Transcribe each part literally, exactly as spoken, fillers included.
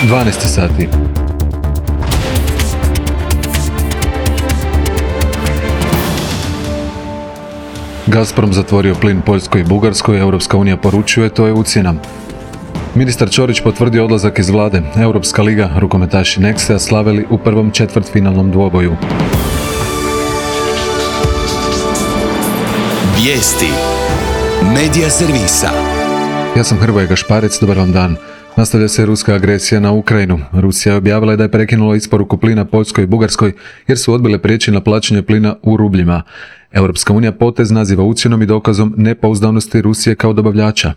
dvanaest sati. Gazprom zatvorio plin Poljskoj i Bugarskoj, Europska unija poručuje, to je ucjena. Ministar Ćorić potvrdio odlazak iz vlade. Europska liga, rukometaši Nexe slavili u prvom četvrtfinalnom dvoboju. Vijesti Medija servisa. Ja sam Hrvoje Gašparec, dobar vam dan. Nastavlja se ruska agresija na Ukrajinu. Rusija je objavila da je prekinula isporuku plina Poljskoj i Bugarskoj jer su odbile prijeći na plaćanje plina u rubljima. Europska unija potez naziva ucjenom i dokazom nepouzdanosti Rusije kao dobavljača.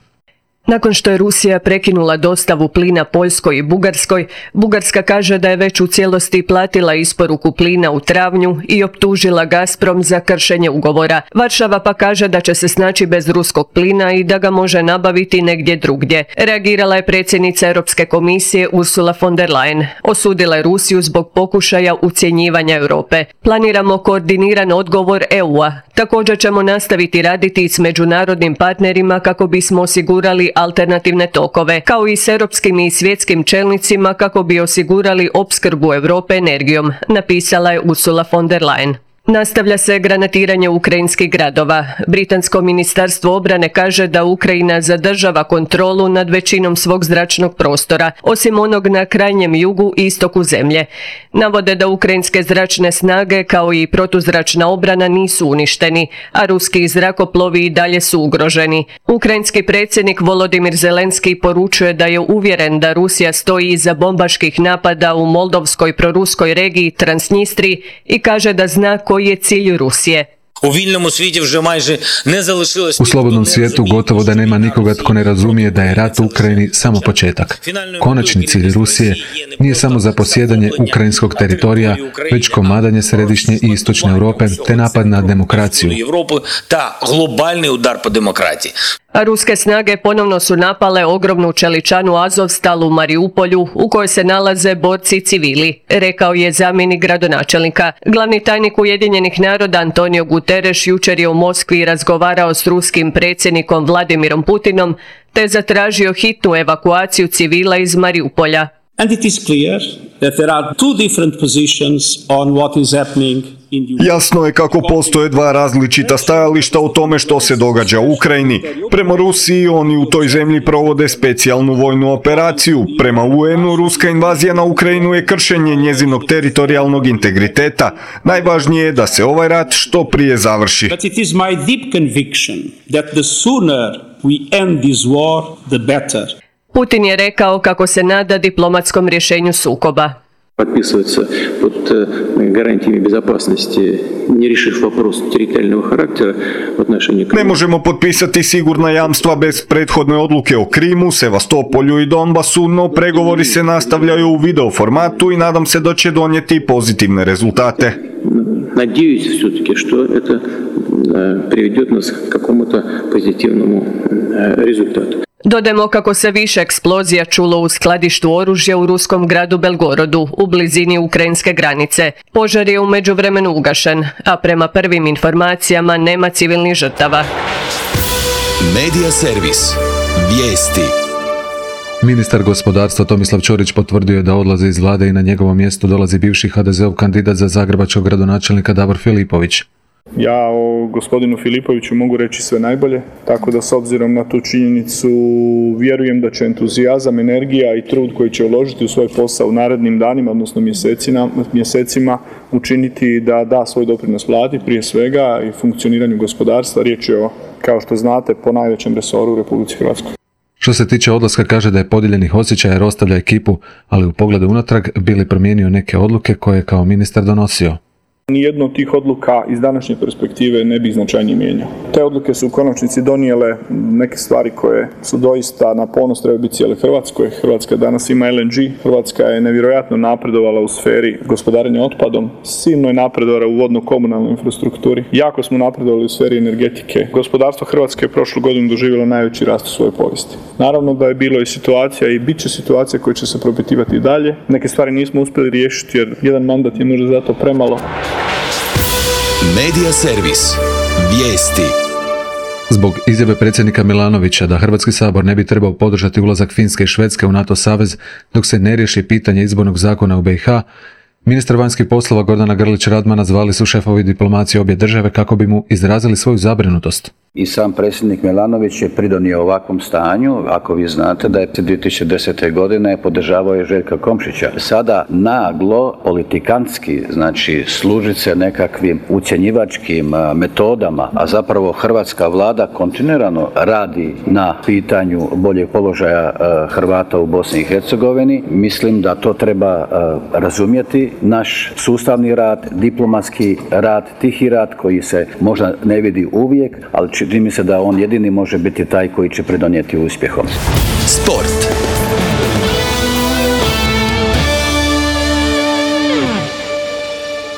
Nakon što je Rusija prekinula dostavu plina Poljskoj i Bugarskoj, Bugarska kaže da je već u cijelosti platila isporuku plina u travnju i optužila Gazprom za kršenje ugovora. Varšava pa kaže da će se snaći bez ruskog plina i da ga može nabaviti negdje drugdje. Reagirala je predsjednica Europske komisije Ursula von der Leyen. Osudila je Rusiju zbog pokušaja ucjenjivanja Europe. Planiramo koordiniran odgovor E U-a. Također ćemo nastaviti raditi s međunarodnim partnerima kako bismo osigurali alternativne tokove, kao i s europskim i svjetskim čelnicima kako bi osigurali opskrbu Europe energijom, napisala je Ursula von der Leyen. Nastavlja se granatiranje ukrajinskih gradova. Britansko ministarstvo obrane kaže da Ukrajina zadržava kontrolu nad većinom svog zračnog prostora, osim onog na krajnjem jugu i istoku zemlje. Navode da ukrajinske zračne snage kao i protuzračna obrana nisu uništeni, a ruski zrakoplovi i dalje su ugroženi. Ukrajinski predsjednik Volodimir Zelenski poručuje da je uvjeren da Rusija stoji iza bombaških napada u moldovskoj proruskoj regiji Transnistri i kaže da zna koji je cilj Rusije. U slobodnom svijetu gotovo da nema nikoga tko ne razumije da je rat u Ukrajini samo početak. Konačni cilj Rusije nije samo zaposjedanje ukrajinskog teritorija, već komadanje središnje i istočne Europe te napad na demokraciju. A ruske snage ponovno su napale ogromnu čeličanu Azovstal u Mariupolju u kojoj se nalaze borci civili, rekao je zamjenik gradonačelnika. Glavni tajnik Ujedinjenih naroda Antonio Guterres jučer je u Moskvi razgovarao s ruskim predsjednikom Vladimirom Putinom te zatražio hitnu evakuaciju civila iz Mariupolja. And it is clear that there are two different positions on what is happening. Jasno je kako postoje dva različita stajališta o tome što se događa u Ukrajini. Prema Rusiji oni u toj zemlji provode specijalnu vojnu operaciju. Prema U N-u ruska invazija na Ukrajinu je kršenje njezinog teritorijalnog integriteta. Najvažnije je da se ovaj rat što prije završi. But it is my deep conviction that the sooner we end this war, the better. Putin je rekao kako se nada diplomatskom rješenju sukoba. Подписываться под гарантиями безопасности, не решив вопрос территориального характера в отношении Крыма. Ne možemo potpisati sigurna jamstva bez prethodne odluke o Krimu, Sevastopolju i Donbasu, no pregovori se nastavljaju u video formatu i nadam se da će donijeti pozitivne rezultate. Надеюсь все-таки, что это приведет нас к какому-то позитивному результату. Dodajmo kako se više eksplozija čulo u skladištu oružja u ruskom gradu Belgorodu, u blizini ukrajinske granice. Požar je u međuvremenu ugašen, a prema prvim informacijama nema civilnih žrtava. Medija servis. Vijesti. Ministar gospodarstva Tomislav Ćorić potvrdio je da odlazi iz vlade i na njegovo mjesto dolazi bivši ha de zeov kandidat za zagrebačkog gradonačelnika Davor Filipović. Ja o gospodinu Filipoviću mogu reći sve najbolje, tako da s obzirom na tu činjenicu vjerujem da će entuzijazam, energija i trud koji će uložiti u svoj posao u narednim danima, odnosno mjesecima, mjesecima učiniti da da svoj doprinos vladi, prije svega i funkcioniranju gospodarstva. Riječ je o, kao što znate, po najvećem resoru u Republici Hrvatskoj. Što se tiče odlaska, kaže da je podijeljenih osjećaja jer ostavlja ekipu, ali u pogledu unatrag bili promijenio neke odluke koje je kao ministar donosio. Nijedno od tih odluka iz današnje perspektive ne bi značajnije mijenjao. Te odluke su u konačnici donijele neke stvari koje su doista na ponos trebaju biti cijele Hrvatskoj. Hrvatska danas ima L N G, Hrvatska je nevjerojatno napredovala u sferi gospodarenja otpadom, silno je napredovala u vodno-komunalnoj infrastrukturi, jako smo napredovali u sferi energetike. Gospodarstvo Hrvatske je prošlu godinu doživjelo najveći rast u svojoj povijesti. Naravno da je bilo i situacija i bit će situacija koje će se propitivati i dalje. Neke stvari nismo uspjeli riješiti jer jedan mandat je možda zato premalo. Medija servis. Vijesti. Zbog izjave predsjednika Milanovića da Hrvatski sabor ne bi trebao podržati ulazak Finske i Švedske u NATO savez dok se ne riješi pitanje izbornog zakona u B i H, ministar vanjskih poslova Gordana Grlić Radmana zvali su šefovi diplomacije obje države kako bi mu izrazili svoju zabrinutost. I sam predsjednik Milanović je pridonio ovakvom stanju. Ako vi znate da je dvije tisuće desete. godine podržavao je Željka Komšića. Sada naglo, politikantski, znači služit se nekakvim ucjenjivačkim metodama, a zapravo hrvatska vlada kontinuirano radi na pitanju boljeg položaja Hrvata u Bosni i Hercegovini. Mislim da to treba razumjeti. Naš sustavni rad, diplomatski rad, tihi rad koji se možda ne vidi uvijek, ali čini mi se da on jedini može biti taj koji će pridonijeti uspjehom. Sport.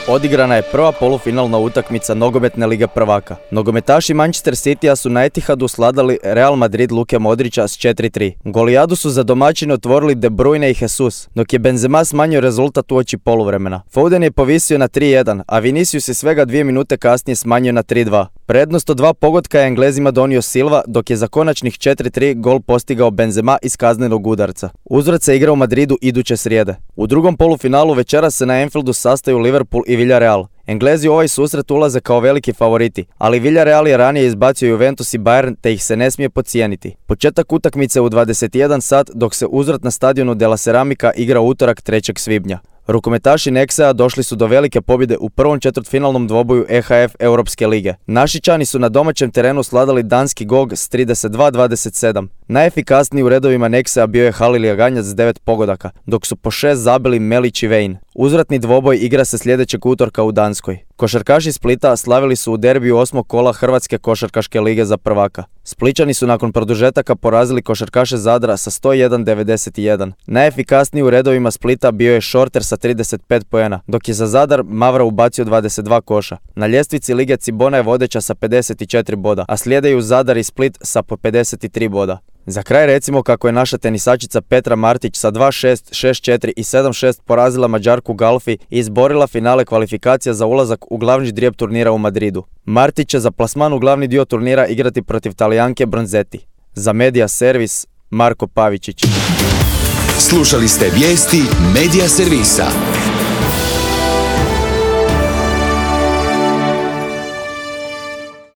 Odigrana je prva polufinalna utakmica Nogometne lige prvaka. Nogometaši Manchester Citya su na Etihadu sladali Real Madrid Luke Modrića s četiri tri. Golijadu su za domaćine otvorili De Bruyne i Jesus, dok je Benzema smanjio rezultat uoči poluvremena. Foden je povisio na tri jedan, a Vinicius je svega dvije minute kasnije smanjio na tri dva. Prednost od dva pogotka je Englezima donio Silva, dok je za konačnih četiri tri gol postigao Benzema iz kaznenog udarca. Uzvrat se igra u Madridu iduće srijede. U drugom polufinalu večeras se na Anfieldu sastaju Liverpool i Villarreal. Englezi u ovaj susret ulaze kao veliki favoriti, ali Villarreal je ranije izbacio Juventus i Bayern te ih se ne smije podcijeniti. Početak utakmice u dvadeset jedan sat, dok se uzvrat na stadionu de la Ceramica igra utorak trećeg svibnja. Rukometaši Nexa došli su do velike pobjede u prvom četvrtfinalnom dvoboju E H F Europske lige. Našičani su na domaćem terenu sladali danski Gog s trideset dva dvadeset sedam. Najefikasniji u redovima Nexa bio je Halilija Ganjac s devet pogodaka, dok su po šest zabili Melić i Vejn. Uzvratni dvoboj igra se sljedećeg utorka u Danskoj. Košarkaši Splita slavili su u derbiju osmog kola Hrvatske košarkaške lige za prvaka. Splićani su nakon produžetaka porazili košarkaše Zadra sa sto jedan devedeset jedan. Najefikasniji u redovima Splita bio je Šorter sa trideset pet poena, dok je za Zadar Mavra ubacio dvadeset dva koša. Na ljestvici lige Cibona je vodeća sa pedeset četiri boda, a slijedaju Zadar i Split sa po pedeset tri boda. Za kraj recimo kako je naša tenisačica Petra Martić sa dva šest, šest četiri i sedam šest porazila Mađarku Galfi i izborila finale kvalifikacija za ulazak u glavni ždrijeb turnira u Madridu. Martić će za plasman u glavni dio turnira igrati protiv Talijanke Bronzetti. Za Media Servis, Marko Pavičić. Slušali ste vijesti Media Servisa.